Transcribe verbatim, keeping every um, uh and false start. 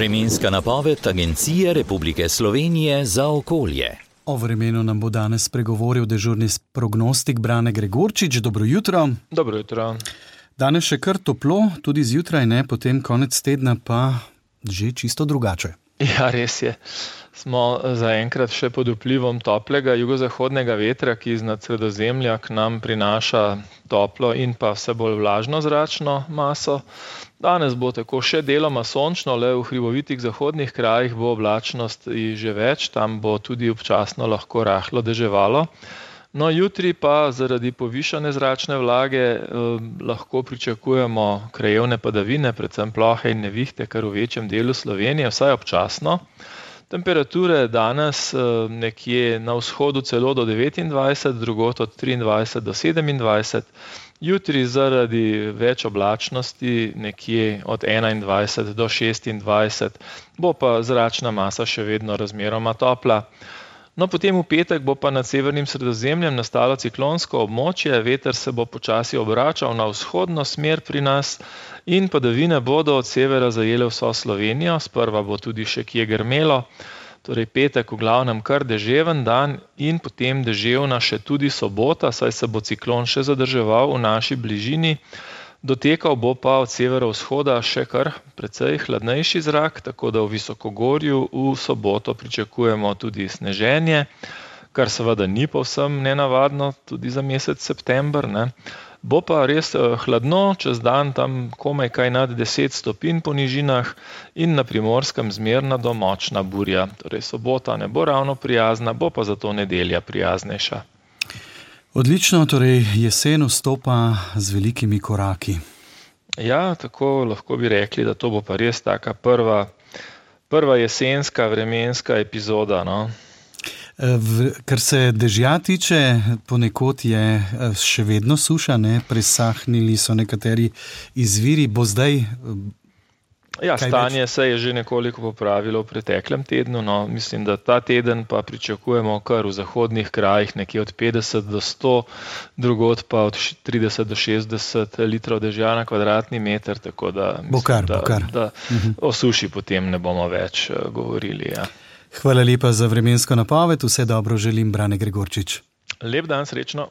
Vremenska napoved Agencije Republike Slovenije za okolje. O vremenu nam bo danes spregovoril dežurni prognostik Brane Gregorčič. Dobro jutro. Dobro jutro. Danes še kar toplo, tudi zjutraj ne, potem konec tedna pa že čisto drugače. Ja, res je. Smo zaenkrat še pod vplivom toplega jugozahodnega vetra, ki iznad Sredozemlja k nam prinaša toplo in pa vse bolj vlažno zračno maso. Danes bo tako še deloma sončno, le v hribovitih zahodnih krajih bo oblačnost že več, tam bo tudi občasno lahko rahlo deževalo. No, jutri pa zaradi povišane zračne vlage eh, lahko pričakujemo krajevne padavine, predvsem plohe in nevihte, kar v večjem delu Slovenije, vsaj občasno. Temperature danes nekje na vzhodu celo do devetindvajset, drugod od triindvajset do sedemindvajset, jutri zaradi več oblačnosti nekje od enaindvajset do šestindvajset, bo pa zračna masa še vedno razmeroma topla. No, potem v petek bo pa nad severnim Sredozemljem nastalo ciklonsko območje, veter se bo počasi obračal na vzhodno smer pri nas in padavine bodo od severa zajele vso Slovenijo, sprva bo tudi še kje grmelo, torej petek v glavnem kar deževen dan in potem deževna še tudi sobota, saj se bo ciklon še zadrževal v naši bližini. Dotekal bo pa od severovzhoda še kar precej hladnejši zrak, tako da v visokogorju v soboto pričakujemo tudi sneženje, kar seveda ni povsem nenavadno tudi za mesec september, ne. Bo pa res hladno, čez dan tam komaj kaj nad deset stopinj po nižinah in na Primorskem zmerna do močna burja. Torej sobota ne bo ravno prijazna, bo pa zato nedelja prijaznejša. Odlično, torej jesen vstopa z velikimi koraki. Ja, tako lahko bi rekli, da to bo pa res taka prva, prva jesenska vremenska epizoda, no. V, kar se dežja tiče, ponekod je še vedno suša, ne? Presahnili so nekateri izviri, bo zdaj... Ja, stanje se je že nekoliko popravilo v preteklem tednu, no, mislim, da ta teden pa pričakujemo kar v zahodnih krajih nekje od petdeset do sto, drugod pa od trideset do šestdeset litrov dežja na kvadratni meter, tako da mislim, bokar, da, bokar. da o suši potem ne bomo več govorili. Ja. Hvala lepa za vremensko napoved, vse dobro želim, Brane Gregorčič. Lep dan, srečno.